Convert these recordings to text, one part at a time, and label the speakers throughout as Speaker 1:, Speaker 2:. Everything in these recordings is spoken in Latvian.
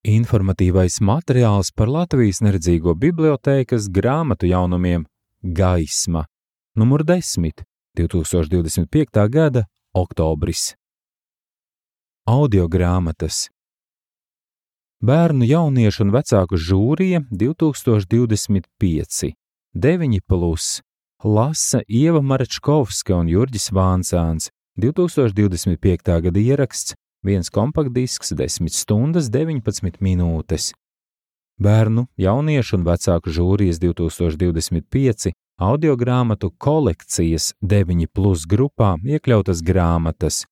Speaker 1: Informatīvais materiāls par Latvijas neredzīgo bibliotēkas grāmatu jaunumiem Gaisma, numur 10, 2025. gada oktobris. Audiogrāmatas. Bērnu, jauniešu un vecāku žūrija 2025, 9+, lasa Ieva Marečkovska un Jurģis Vāncāns, 2025. gada ieraksts, 1 kompaktdisks, 10 stundas, 19 minūtes. Bērnu, jauniešu un vecāku žūrijas 2025 audiogrāmatu kolekcijas 9+ grupā iekļautas grāmatas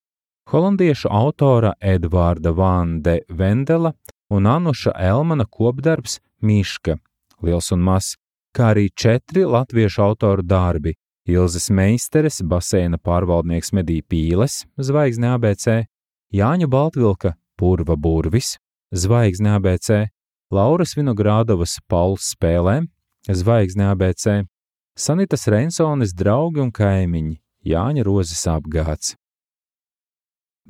Speaker 1: holandiešu autora Edvārda van de Vendela un Anuša Elmana kopdarbs Miška, liels un mazs, kā arī 4 latviešu autoru darbi Ilzes Meisteres, baseina pārvaldnieks Medī Pīles, Zvaigzne ABC, Jāņa Baltvilka, Purva burvis, Zvaigzne ABC, Lauras Vinogrādovas Pauls spēlē, Zvaigzne ABC, Sanitas Rensones draugi un kaimiņi, Jāņa Rozes apgāds.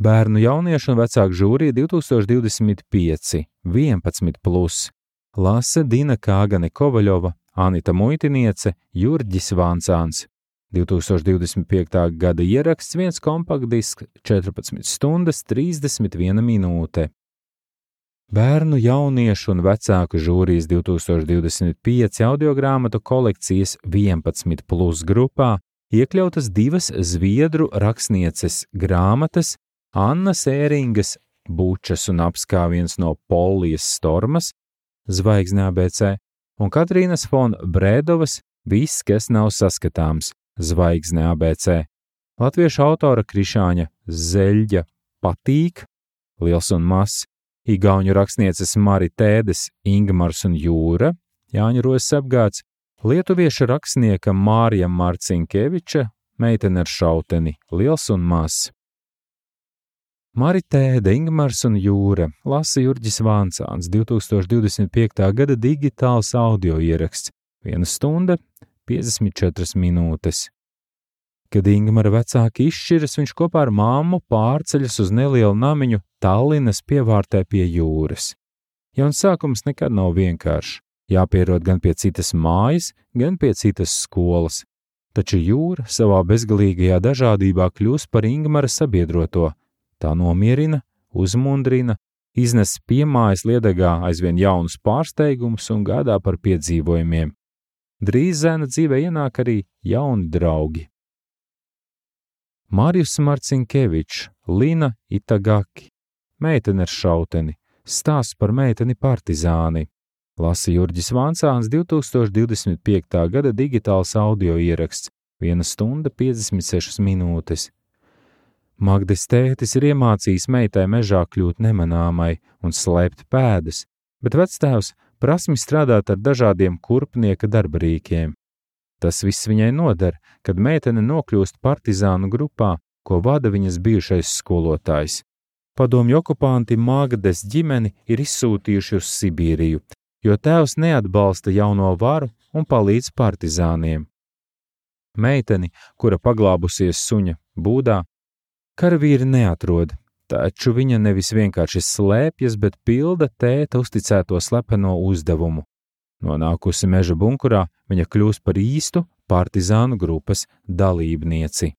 Speaker 1: Bērnu, jauniešu un vecāku žūrija 2025, 11+, lasa Dina Kāgane Kovaļova, Anita Muitiniece, Jurģis Vāncāns. 2025. gada ieraksts, 1 kompaktdisks, 14 stundas, 31 minūte. Bērnu, jauniešu un vecāku žūrijas 2025 audiogrāmatu kolekcijas 11+ grupā iekļautas 2 zviedru rakstnieces grāmatas Annas Ēringas Bučas un apskāviens no Polijas stormas, Zvaigzne ABC, un Katrīnas fon Brēdovas Viss, kas nav saskatāms, Zvaigzne ABC. Latviešu autora Krišāņa Zeļģa Patīk, liels un mazs, igauņu rakstnieces Mari Tēdes Ingmars un Jūra, Jāņa Rozes apgāds, lietuviešu rakstnieka Mārija Marcinkeviča Meitene ar šauteni, liels un mazs. Mari Tēde, Ingmars un Jūra, lasa Jurģis Vāncāns, 2025. gada digitāls audio ieraksts, 1 stunda, 54 minūtes. Kad Ingmara vecāki izšķiras, viņš kopā ar māmu pārceļas uz nelielu namiņu Tallinas pievārtē pie jūras. Jauns sākums nekad nav vienkāršs, jāpierod gan pie citas mājas, gan pie citas skolas. Taču jūra savā bezgalīgajā dažādībā kļūst par Ingmara sabiedroto. Tā nomierina, uzmundrina, iznes piemājas liedagā aizvien jaunus pārsteigumus un gādā par piedzīvojumiem. Drīz zēna dzīvē ienāk arī jauni draugi. Marijus Marcinkevičs, Lina Itagaki, Meitene ar šauteni, stāsts par meiteni partizāni, lasa Jurģis Vāncāns, 2025. gada digitāls audio ieraksts, 1 stunda 56 minūtes. Magdes tētis ir iemācījis meitai mežā kļūt nemanāmai un slēpt pēdas, bet vectēvs prasmi strādāt ar dažādiem kurpnieka darbarīkiem. Tas viss viņai noder, kad meitene nokļūst partizānu grupā, ko vada viņas bijušais skolotājs. Padomju okupanti Magdes ģimeni ir izsūtījuši uz Sibīriju, jo tēvs neatbalsta jauno varu un palīdz partizāniem. Meiteni, kura paglābusies suņa būdā, karavīri neatrod, taču viņa nevis vienkārši slēpjas, bet pilda tēta uzticēto slepeno uzdevumu. Nonākusi meža bunkurā, viņa kļūst par īstu partizānu grupas dalībnieci.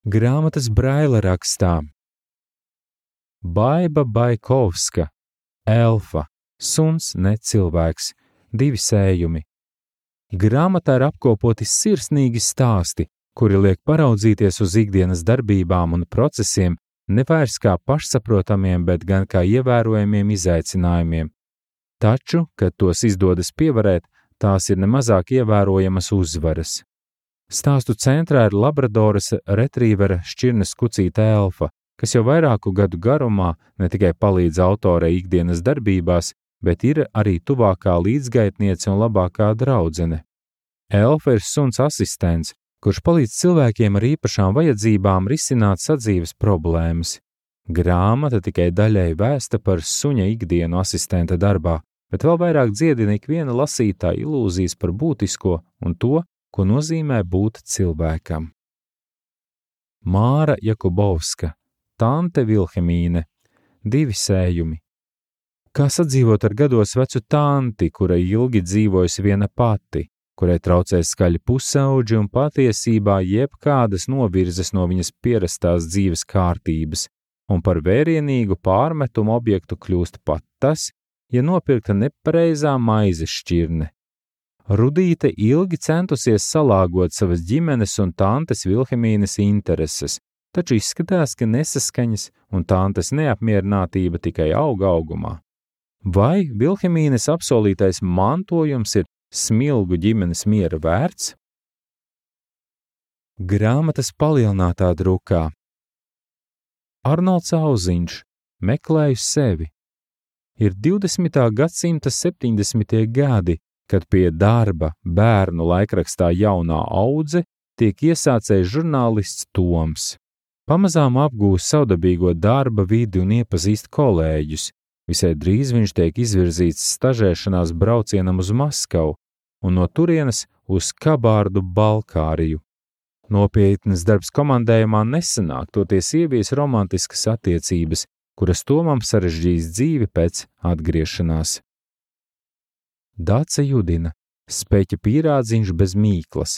Speaker 1: Grāmatas Braila rakstā. Baiba Baikovska, Elfa, suns ne cilvēks, 2 sējumi. Grāmatā ir apkopoti sirsnīgi stāsti, kuri liek paraudzīties uz ikdienas darbībām un procesiem nevairs kā pašsaprotamiem, bet gan kā ievērojamiem izaicinājumiem. Taču, kad tos izdodas pievarēt, tās ir nemazāk ievērojamas uzvaras. Stāstu centrā ir Labradoras retrīvera šķirnes kucīte Elfa, kas jau vairāku gadu garumā ne tikai palīdz autorei ikdienas darbībās, bet ir arī tuvākā līdzgaitniece un labākā draudzene. Elfa ir suns asistents, kurš palīdz cilvēkiem ar īpašām vajadzībām risināt sadzīves problēmas. Grāmata tikai daļai vēsta par suņa ikdienu asistenta darbā, bet vēl vairāk dziedina ikviena lasītāja ilūzijas par būtisko un to, ko nozīmē būt cilvēkam. Māra Jakubovska, Tante Vilhelmīne, 2 sējumi, Kā sadzīvot ar gados vecu tanti, kura ilgi dzīvojusi viena pati, kurai traucē skaļi pusauģi un patiesībā jebkādas novirzes no viņas pierastās dzīves kārtības, un par vērienīgu pārmetumu objektu kļūst pat tas, ja nopirkta nepareizā maizes šķirne. Rudīte ilgi centusies salāgot savas ģimenes un tantes Vilhelmīnes intereses, taču izskatās, ka nesaskaņas un tantes neapmierinātība tikai auga augumā. Vai Vilhelmīnes apsolītais mantojums ir smilgu ģimenes miera vērts? Grāmatas palielinātā drukā. Arnolds Auziņš, Meklēju sevi. Ir 20. gadsimta 70. gadi, kad pie darba bērnu laikrakstā Jaunā audze tiek iesācējis žurnālists Toms. Pamazām apgūst savdabīgo darba vidi un iepazīst kolēģus. Visai drīz viņš tiek izvirzīts stažēšanās braucienam uz Maskavu un no turienes uz Kabārdu Balkāriju. Nopietnas darbs komandējumā nesanāk, toties ievies romantiskas attiecības, kuras Tomam sarežģīs dzīvi pēc atgriešanās. Dace Judina, Speķa pīrādziņš bez mīklas,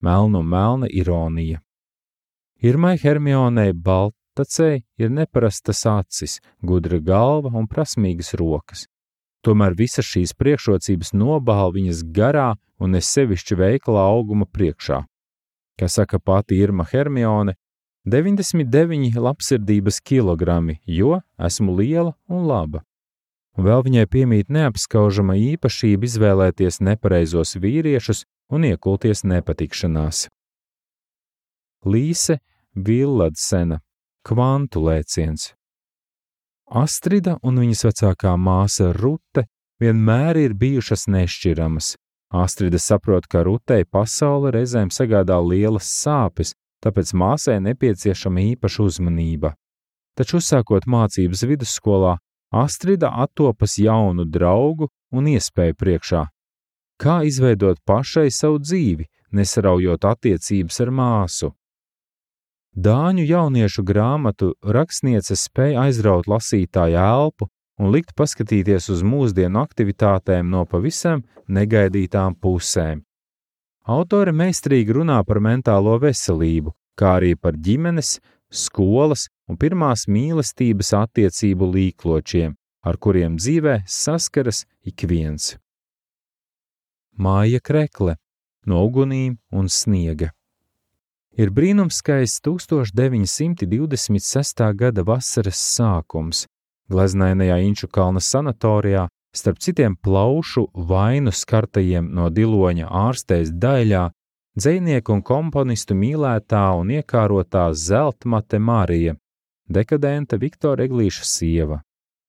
Speaker 1: melna un melna ironija. Irmai Hermionei Baltacei ir neparastas acis, gudra galva un prasmīgas rokas. Tomēr visas šīs priekšrocības nobāl viņas garā un nesevišķi veiklā auguma priekšā. Kā saka pati Irma Hermione, 99 labsirdības kilogrami, jo esmu liela un laba. Un vēl viņai piemīt neapskaužama īpašība izvēlēties nepareizos vīriešus un iekulties nepatikšanās. Līse Villadsena, Kvantu lēciens. Astrida un viņas vecākā māsa Rute vienmēr ir bijušas nešķiramas. Astrida saprot, ka Rutei pasaule reizēm sagādā lielas sāpes, tāpēc māsai nepieciešama īpaša uzmanība. Taču uzsākot mācības vidusskolā, Astrida attopas jaunu draugu un iespēju priekšā. Kā izveidot pašai savu dzīvi, nesaraujot attiecības ar māsu? Dāņu jauniešu grāmatu rakstniece spēja aizraut lasītāju elpu un likt paskatīties uz mūsdienu aktivitātēm no pavisam negaidītām pusēm. Autore meistarīgi runā par mentālo veselību, kā arī par ģimenes, skolas un pirmās mīlestības attiecību līkločiem, ar kuriem dzīvē saskaras ik viens. Māja Krekle, No ugunīm un sniega. Ir brīnumskaists 1926. gada vasaras sākums. Gleznainajā Inču kalna sanatorijā, starp citiem plaušu vainu skartajiem no Diloņa ārstēs daļā, dzejnieku un komponistu mīlētā un iekārotā Zeltmate Marija, dekadenta Viktora Eglīša sieva.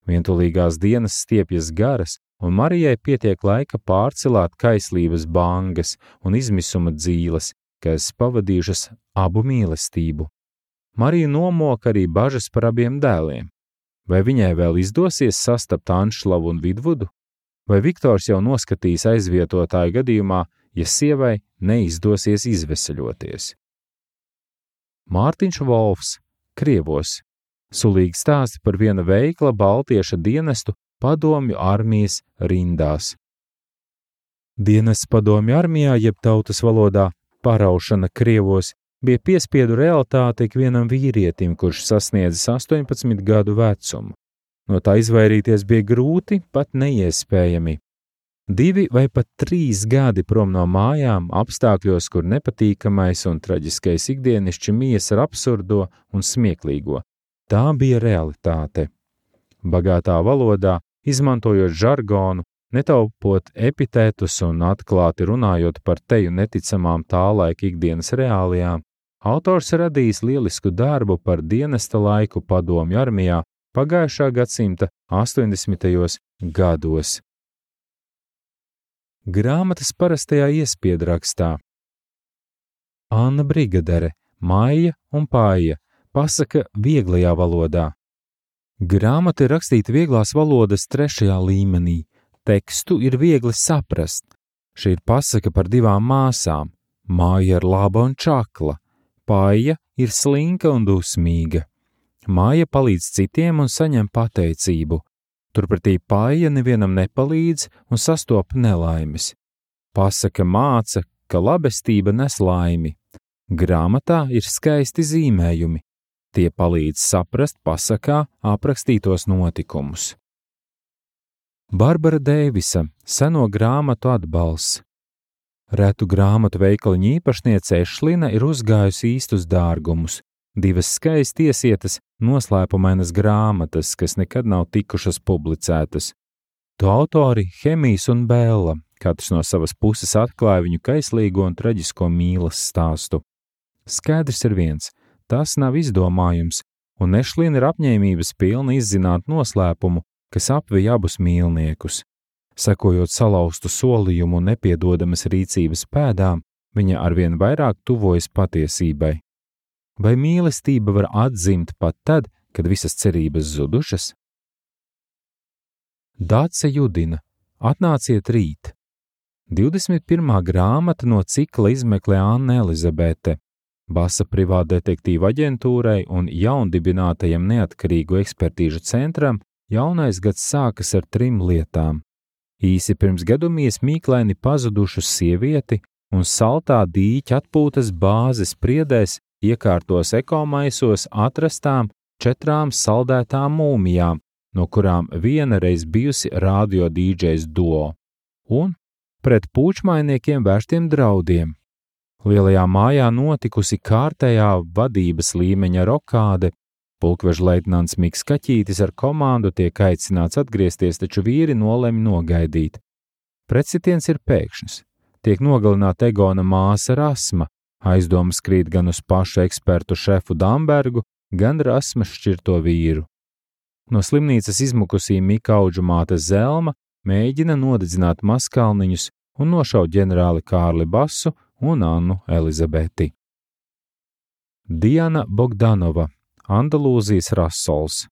Speaker 1: Vientulīgās dienas stiepjas garas, un Marijai pietiek laika pārcelāt kaislības bangas un izmisuma dzīles, kas pavadījušas abu mīlestību. Mariju nomoka arī bažas par abiem dēliem. Vai viņai vēl izdosies sastapt Anšlavu un Vidvudu? Vai Viktors jau noskatīs aizvietotāju gadījumā, ja sievai neizdosies izveseļoties? Mārtiņš Volfs, Krievos. Sulīgi stāsti par viena veikla baltieša dienestu padomju armijas rindās. Dienests padomju armijā, jeb tautas valodā paraušana Krievos, bija piespiedu realitāte ikvienam vīrietim, kurš sasniedzis 18 gadu vecumu. No tā izvairīties bija grūti, pat neiespējami. 2 vai pat 3 gadi prom no mājām, apstākļos, kur nepatīkamais un traģiskais ikdienišķi mijas ar absurdo un smieklīgo. Tā bija realitāte. Bagātā valodā, izmantojot žargonu, netaupot epitētus un atklāti runājot par teju neticamām tā laika ikdienas reālijām, autors radījis lielisku darbu par dienesta laiku padomju armijā pagājušā gadsimta 80. gados. Grāmatas parastajā iespiedrakstā. Anna Brigadere, Maija un Paija, pasaka vieglajā valodā. Grāmata ir rakstīta vieglās valodas 3. līmenī. Tekstu ir viegli saprast. Šī ir pasaka par 2 māsām. Māja ir laba un čakla. Paija ir slinka un dusmīga. Māja palīdz citiem un saņem pateicību. Turpretī paija nevienam nepalīdz un sastopa nelaimes. Pasaka māca, ka labestība nes laimi. Grāmatā ir skaisti zīmējumi. Tie palīdz saprast pasakā aprakstītos notikumus. Barbara Deivisa, seno grāmatu atbalsts. Retu grāmatu veikaliņa īpašniece Ešlina ir uzgājusi īstus dārgumus. 2 skaisti iesietas noslēpumainas grāmatas, kas nekad nav tikušas publicētas. To autori Hemijs un Bēla, katrs no savas puses atklāja viņu kaislīgo un traģisko mīlas stāstu. Skaidrs ir viens, tas nav izdomājums, un Ešlina ir apņēmības pilna izzināt noslēpumu, kas apvij abus mīlniekus. Sekojot salauztu solījumu un nepiedodamas rīcības pēdām, viņa arvien vairāk tuvojas patiesībai. Vai mīlestība var atzimt pat tad, kad visas cerības zudušas? Dāce Judina, atnāciet rīt. 21. grāmata no cikla izmeklē Anna Elizabete, Basa privātdetektīva aģentūrai un jaundibinātajam neatkarīgu ekspertīžu centram jaunais gads sākas ar 3 lietām. Īsi pirms gadumies mīklaini pazudušu sievieti un saltā dīķa atpūtas bāzes priedēs iekārtos ekomaisos atrastām 4 saldētām mūmijām, no kurām viena reiz bijusi radio dīdžejs duo, un pret pūčmainiekiem vērstiem draudiem. Lielajā mājā notikusi kārtējā vadības līmeņa rokāde. Pulkveža leitnants Miks Kaķītis ar komandu tiek aicināts atgriezties, taču vīri nolemj nogaidīt. Pretsitiens ir pēkšņs. Tiek nogalināta Egona māsa Rasma, aizdomas krīt gan uz pašu ekspertu šefu Dambergu, gan Rasmas šķirto vīru. No slimnīcas izmukusī Mika auģu māte Zelma mēģina nodedzināt maskalniņus un nošaut ģenerāli Kārli Basu un Annu Elizabeti. Diana Bogdanova, Andalūzijas rasols.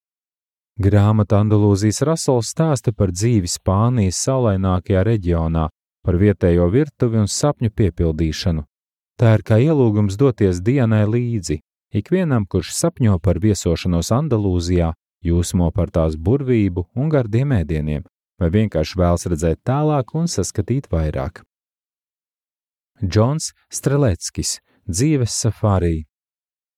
Speaker 1: Grāmata Andalūzijas rasols stāsta par dzīvi Spānijas saulainākajā reģionā, par vietējo virtuvi un sapņu piepildīšanu. Tā ir kā ielūgums doties Dianai līdzi, ikvienam, kurš sapņo par viesošanos Andalūzijā, jūsmo par tās burvību un gardiem ēdieniem, vai vienkārši vēlas redzēt tālāk un saskatīt vairāk. Džons Streleckis, dzīves safārī.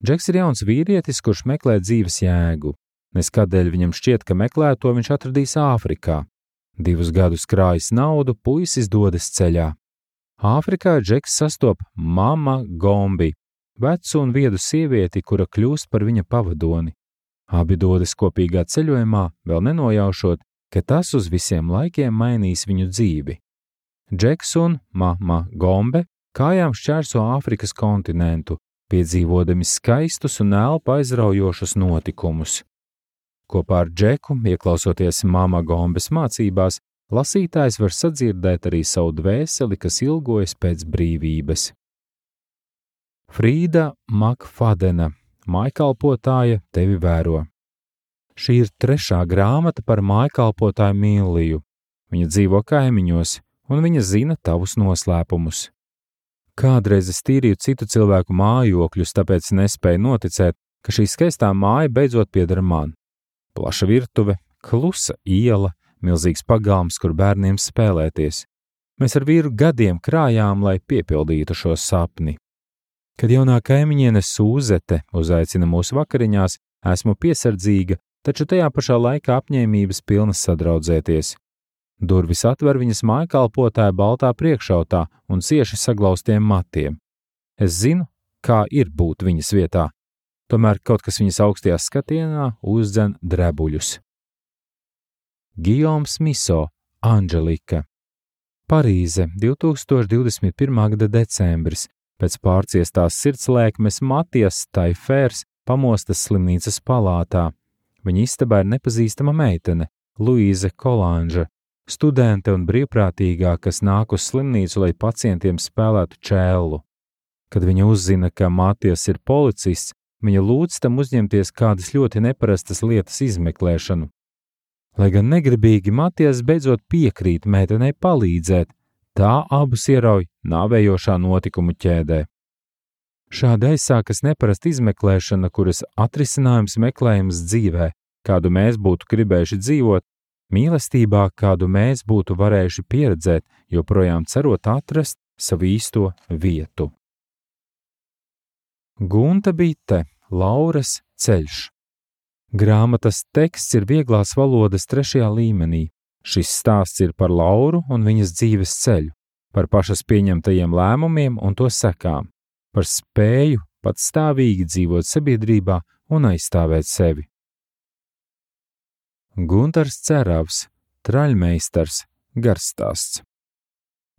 Speaker 1: Džeks ir jauns vīrietis, kurš meklē dzīves jēgu. Neskādēļ viņam šķiet, ka meklēto viņš atradīs Āfrikā. 2 gadus krājis naudu, puisis dodas ceļā. Āfrikā Džeks sastop Mama Gombi, vecu un viedu sievieti, kura kļūst par viņa pavadoni. Abi dodas kopīgā ceļojumā, vēl nenojaušot, ka tas uz visiem laikiem mainīs viņu dzīvi. Džeks un Mama Gombe kājām šķērso Āfrikas kontinentu, piedzīvodami skaistus un elpu aizraujošus notikumus. Kopā ar Džeku, ieklausoties Mama Gombes mācībās, lasītājs var sadzirdēt arī savu dvēseli, kas ilgojas pēc brīvības. Frīda Makfadena, mājkalpotāja tevi vēro. Šī ir 3. grāmata par mājkalpotāju Milliju. Viņa dzīvo kaimiņos, un viņa zina tavus noslēpumus. Kādreiz es tīrīju citu cilvēku mājokļus, tāpēc nespēju noticēt, ka šī skaistā māja beidzot pieder man. Plaša virtuve, klusa iela, milzīgs pagalms, kur bērniem spēlēties. Mēs ar vīru gadiem krājām, lai piepildītu šo sapni. Kad jaunā kaimiņiene Sūzete uzaicina mūsu vakariņās, esmu piesardzīga, taču tajā pašā laikā apņēmības pilna sadraudzēties. Durvis atver viņas mājkalpotāja baltā priekšautā un cieši saglaustiem matiem. Es zinu, kā ir būt viņas vietā, tomēr kaut kas viņas augstajā skatienā uzdzen drebuļus. Gijoms Miso, Anželika. Parīze, 2021. gada decembris. Pēc pārciestās sirdslēkmes Matijas Taifērs pamostas slimnīcas palātā. Viņa istabā ir nepazīstama meitene, Luīze Kolanža, studente un brīvprātīgā, kas nāk uz slimnīcu, lai pacientiem spēlētu čēlu. Kad viņa uzzina, ka Matijas ir policists, viņa lūdz tam uzņemties kādas ļoti neparastas lietas izmeklēšanu. Lai gan negribīgi, Matijas beidzot piekrīt meitenei palīdzēt, tā abus ierauj nāvējošā notikumu ķēdē. Šādi aizsākas neparasta izmeklēšana, kuras atrisinājums meklējams dzīvē, kādu mēs būtu gribējuši dzīvot, Mīlestībā, kādu mēs būtu varējuši pieredzēt, joprojām cerot atrast savu īsto vietu. Gunta Bite, Lauras ceļš. Grāmatas teksts ir vieglās valodas 3. līmenī. Šis stāsts ir par Lauru un viņas dzīves ceļu, par pašas pieņemtajiem lēmumiem un to sekām, par spēju patstāvīgi dzīvot sabiedrībā un aizstāvēt sevi. Guntars Ceravs, Traļmeistars, garstāsts.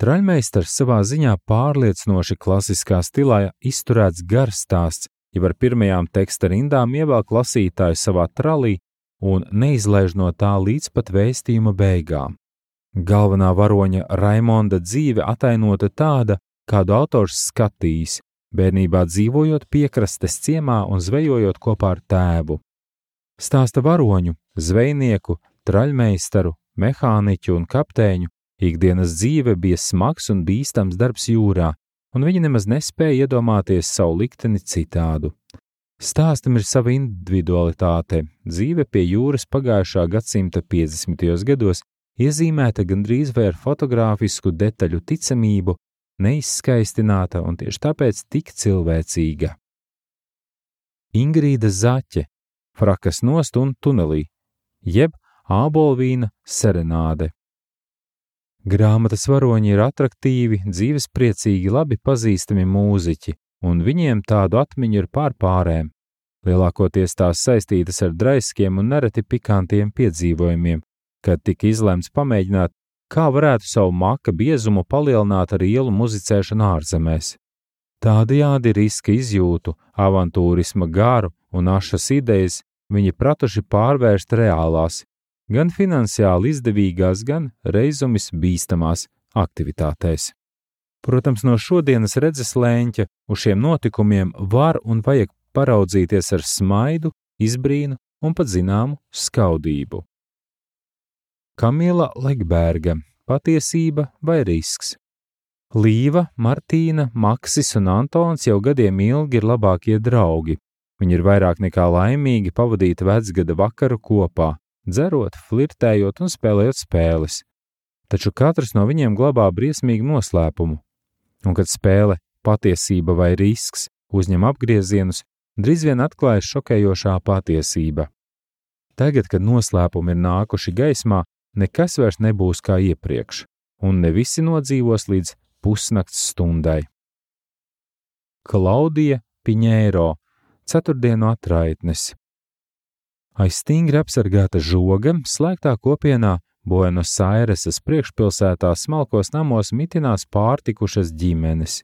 Speaker 1: Traļmeistars savā ziņā pārliecinoši klasiskā stilā izturēts garstāsts, jau ar pirmajām teksta rindām ievelk lasītāju savā tralī un neizlaiž no tā līdz pat vēstījuma beigām. Galvenā varoņa Raimonda dzīve atainota tāda, kādu autors skatījis, bērnībā dzīvojot piekrastes ciemā un zvejojot kopā ar tēvu. Stāsta varoņu, zvejnieku, traļmeistaru, mehāniķu un kapteiņu ikdienas dzīve bija smags un bīstams darbs jūrā, un viņi nemaz nespēja iedomāties savu likteni citādu. Stāstam ir sava individualitāte. Dzīve pie jūras pagājušā gadsimta 50. gados iezīmēta gandrīz vai ar fotogrāfisku detaļu ticamību, neizskaistināta un tieši tāpēc tik cilvēcīga. Ingrīda Zaķe, Frakas nost un tunelī, jeb ābolvīna serenāde. Grāmatas varoņi ir atraktīvi, dzīvespriecīgi, labi pazīstami mūziķi, un viņiem tādu atmiņu ir pārpārēm. Lielākoties tās saistītas ar draiskiem un nereti pikantiem piedzīvojumiem, kad tika izlemts pamēģināt, kā varētu savu maka biezumu palielināt ar ielu muzicēšanu ārzemēs. Tādējādi riska izjūtu, avantūrisma garu un ašas idejas viņi pratuši pārvērst reālās, gan finansiāli izdevīgās, gan reizumis bīstamās aktivitātēs. Protams, no šodienas redzes lēņķa uz šiem notikumiem var un vajag paraudzīties ar smaidu, izbrīnu un pat zināmu skaudību. Kamila Legberga, Patiesība vai risks. Līva, Martīna, Maksis un Antons jau gadiem ilgi ir labākie draugi. Viņi ir vairāk nekā laimīgi pavadīt vecgada vakaru kopā, dzerot, flirtējot un spēlējot spēles. Taču katrs no viņiem glabā briesmīgu noslēpumu. Un kad spēle Patiesība vai risks uzņem apgriezienus, drīz vien atklājas šokējošā patiesība. Tagad, kad noslēpumi ir nākuši gaismā, nekas vairs nebūs kā iepriekš, un ne visi nodzīvos līdz pusnakts stundai. Klaudija Piņēro, Ceturtdienu atraitnes. Aiz stingri apsargāta žoga, slēgtā kopienā Buenos Airesas priekšpilsētā smalkos namos mitinās pārtikušas ģimenes.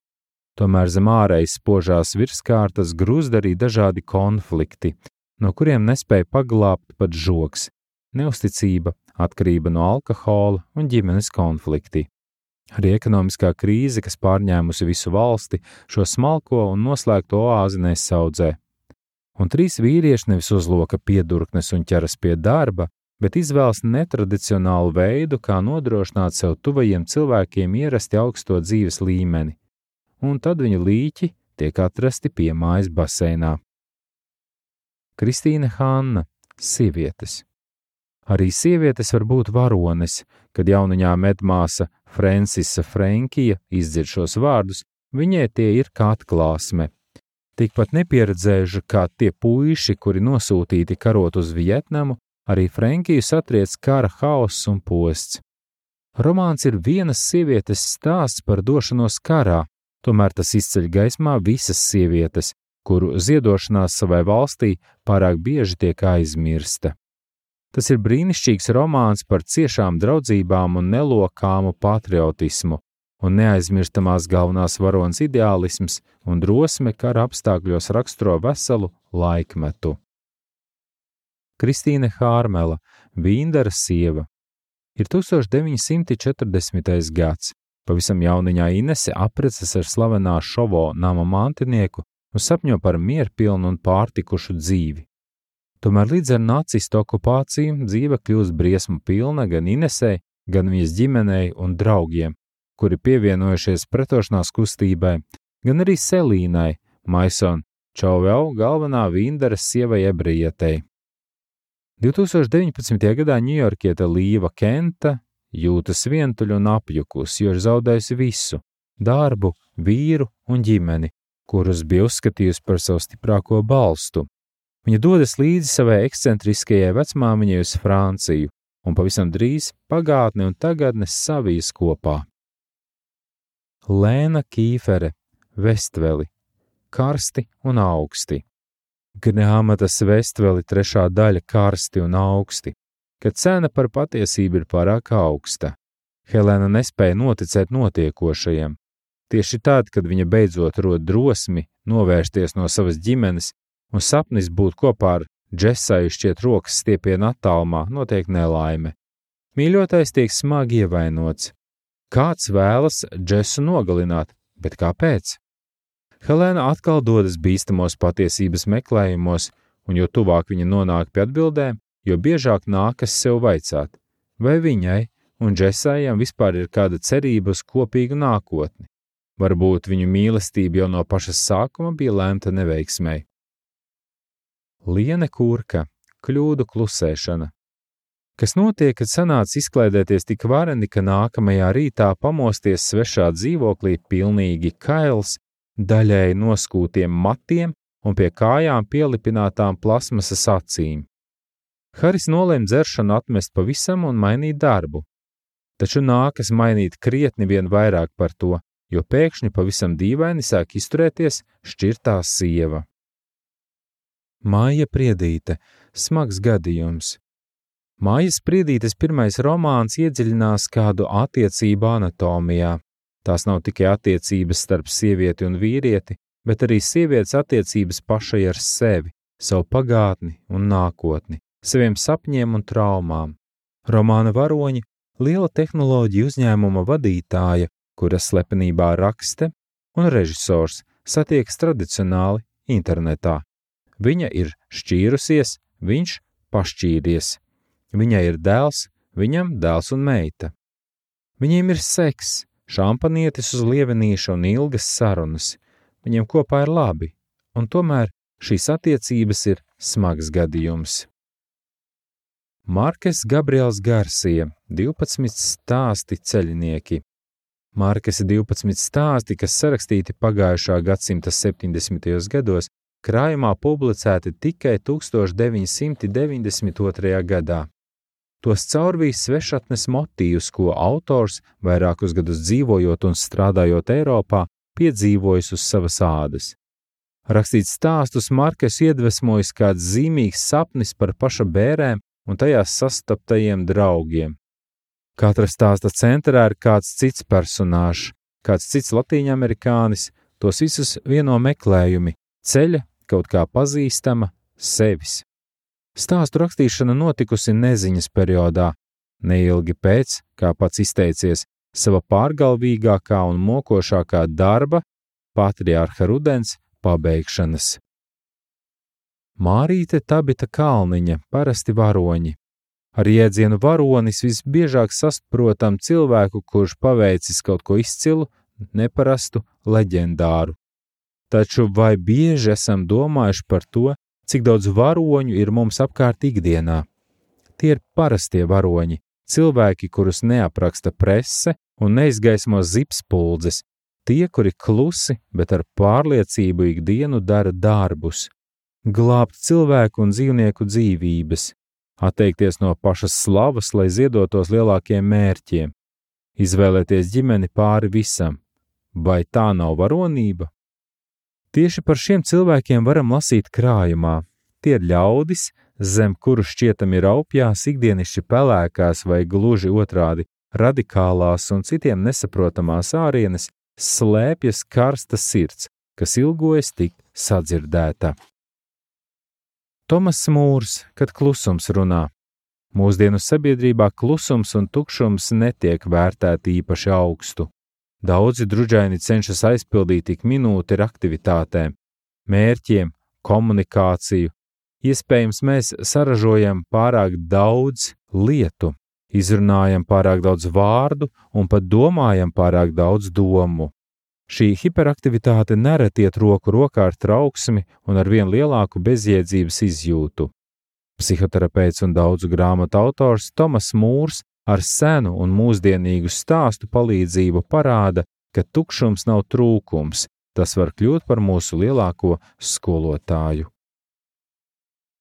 Speaker 1: Tomēr zem ārējas spožās virskārtas grūzd arī dažādi konflikti, no kuriem nespēja paglābt pat žogs, neusticība, atkarība no alkohola un ģimenes konflikti. Arī ekonomiskā krīze, kas pārņēmusi visu valsti, šo smalko un noslēgto oāzi nesaudzē. Un 3 vīrieši nevis uzloka piedurknes un ķeras pie darba, bet izvēlas netradicionālu veidu, kā nodrošināt sev tuvajiem cilvēkiem ierasti augsto dzīves līmeni. Un tad viņa līķi tiek atrasti piemājas baseinā. Kristīne Hanna, Sievietes. Arī sievietes var būt varones, kad jauniņā medmāsa Francisa Frenkija izdzird šos vārdus, viņai tie ir kā atklāsme. Tikpat nepieredzējuši kā tie puiši, kuri nosūtīti karot uz Vietnamu, arī Frenkiju satriec kara hauss un posts. Romāns ir vienas sievietes stāsts par došanos karā, tomēr tas izceļ gaismā visas sievietes, kuru ziedošanās savai valstī pārāk bieži tiek aizmirsta. Tas ir brīnišķīgs romāns par ciešām draudzībām un nelokāmu patriotismu, un neaizmirstamās galvenās varonas ideālisms un drosme kara apstākļos raksturo veselu laikmetu. Kristīne Hārmela, Vīndara sieva. Ir 1940. gads. Pavisam jauniņā Inese apprecas ar slavenā Šovo nama mantinieku un sapņo par mierpilnu un pārtikušu dzīvi. Tomēr līdz ar nacistu okupāciju dzīve kļūst briesmu pilna gan Inesei, gan viņas ģimenei un draugiem, kuri pievienojušies pretošanās kustībai, gan arī Selīnai, Maison Čauveau galvenā Vīndaras sievai ebrejietei. 2019. gadā ņujorkiete Līva Kenta jūtas vientuļa un apjukusi, jo ir zaudējusi visu – darbu, vīru un ģimeni, kurus bija uzskatījusi par savu stiprāko balstu. Viņa dodas līdzi savai ekscentriskajai vecmāmiņai uz Franciju, un pavisam drīz pagātne un tagadne savijas kopā. Lēna Kīfere, Vestveli, Karsti un augsti. Grāmatas Vestveli 3. daļa Karsti un augsti, kad cena par patiesību ir pārāk augsta. Helēna nespēja noticēt notiekošajam. Tieši tad, kad viņa beidzot rod drosmi novērsties no savas ģimenes un sapnis būt kopā ar Džesaju šķiet rokas stiepiena attālumā, notiek nelaime. Mīļotais tiek smagi ievainots. Kāds vēlas Džesu nogalināt, bet kāpēc? Helēna atkal dodas bīstamos patiesības meklējumos, un jo tuvāk viņa nonāk pie atbildēm, jo biežāk nākas sev vaicāt, vai viņai un Džesajam vispār ir kāda cerība uz kopīgu nākotni. Varbūt viņu mīlestība jau no paša sākuma bija lemta neveiksmei. Liene Kurka, kļūdu klusēšana. Kas notiek, kad sanāc izklaidēties tik vareni, ka nākamajā rītā pamosties svešā dzīvoklī pilnīgi kails, daļēji noskūtiem matiem un pie kājām pielipinātām plasmasas acīm. Haris nolēma dzeršanu atmest pavisam un mainīt darbu. Taču nākas mainīt krietni vien vairāk par to, jo pēkšņi pavisam dīvaini sāk izturēties šķirtā sieva. Māja Priedīte, smags gadījums. Mājas Priedītes pirmais romāns iedziļinās kādu attiecību anatomijā. Tās nav tikai attiecības starp sievieti un vīrieti, bet arī sievietes attiecības pašai ar sevi, savu pagātni un nākotni, saviem sapņiem un traumām. Romāna varoņi – liela tehnoloģiju uzņēmuma vadītāja, kuras slepenībā rakste, un režisors satiekas tradicionāli internetā. Viņa ir šķīrusies, viņš pašķīries. Viņai ir dēls, viņam dēls un meita. Viņiem ir seks, šampanietis uz lievenīša un ilgas sarunas. Viņiem kopā ir labi, un tomēr šīs attiecības ir smags gadījums. Markes Gabriels Garsija, 12 stāsti ceļinieki. Markes 12 stāsti, kas sarakstīti pagājušā gadsimta 70. gados, krājumā publicēti tikai 1992. gadā. Tos caurvīs svešatnes motīvus, ko autors, vairākus gadus dzīvojot un strādājot Eiropā, piedzīvojis uz savas ādas. Rakstīt stāstus Markes iedvesmojas kāds zīmīgs sapnis par paša bērēm un tajās sastaptajiem draugiem. Katra stāsta centrā ir kāds cits personāžs, kāds cits latīņamerikānis, tos visus vieno meklējumi, ceļa, kaut kā pazīstama, sevis. Stāstu rakstīšana notikusi neziņas periodā, neilgi pēc, kā pats izteicies, sava pārgalvīgākā un mokošākā darba, patriārha Rudens, pabeigšanas. Mārīte Tabita Kalniņa, parasti varoņi. Ar jēdzienu varonis visbiežāk saprotam cilvēku, kurš paveicis kaut ko izcilu, neparastu, leģendāru. Taču vai bieži esam domājuši par to, cik daudz varoņu ir mums apkārt ikdienā? Tie ir parastie varoņi, cilvēki, kurus neapraksta prese un neizgaismo zipspuldzes, tie, kuri klusi, bet ar pārliecību ikdienu dara darbus, glābt cilvēku un dzīvnieku dzīvības, atteikties no pašas slavas, lai ziedotos lielākiem mērķiem, izvēlēties ģimeni pāri visam. Vai tā nav varonība? Tieši par šiem cilvēkiem varam lasīt krājumā. Tie ir ļaudis, zem kuru šķietami raupjās ikdienišķi pelēkās vai gluži otrādi radikālās un citiem nesaprotamās ārienes, slēpjas karsta sirds, kas ilgojas tikt sadzirdēta. Tomas Mūrs, kad klusums runā. Mūsdienu sabiedrībā klusums un tukšums netiek vērtēti īpaši augstu. Daudzi druģaini cenšas aizpildīt ik minūti ar aktivitātēm, mērķiem, komunikāciju. Iespējams, mēs saražojam pārāk daudz lietu, izrunājam pārāk daudz vārdu un pat domājam pārāk daudz domu. Šī hiperaktivitāte nereti iet roku rokā ar trauksmi un ar vien lielāku bezjēdzības izjūtu. Psihoterapeits un daudzu grāmatu autors Tomas Mūrs ar senu un mūsdienīgu stāstu palīdzību parāda, ka tukšums nav trūkums, tas var kļūt par mūsu lielāko skolotāju.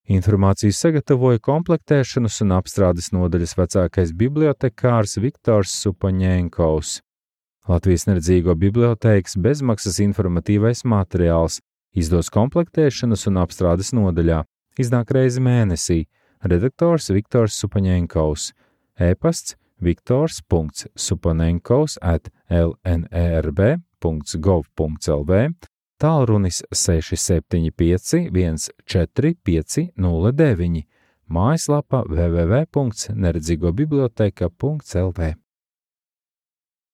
Speaker 1: Informāciju sagatavoja komplektēšanas un apstrādes nodaļas vecākais bibliotekārs Viktors Supaņenkovs. Latvijas neredzīgo bibliotēkas bezmaksas informatīvais materiāls izdos komplektēšanas un apstrādes nodaļā, iznāk reizi mēnesī, redaktors Viktors Supaņenkovs, e-pasts viktors.supaņenkovs@lnerb.gov.lv, tālrunis 675 14509, mājaslapa www.neredzīgobiblioteka.lv.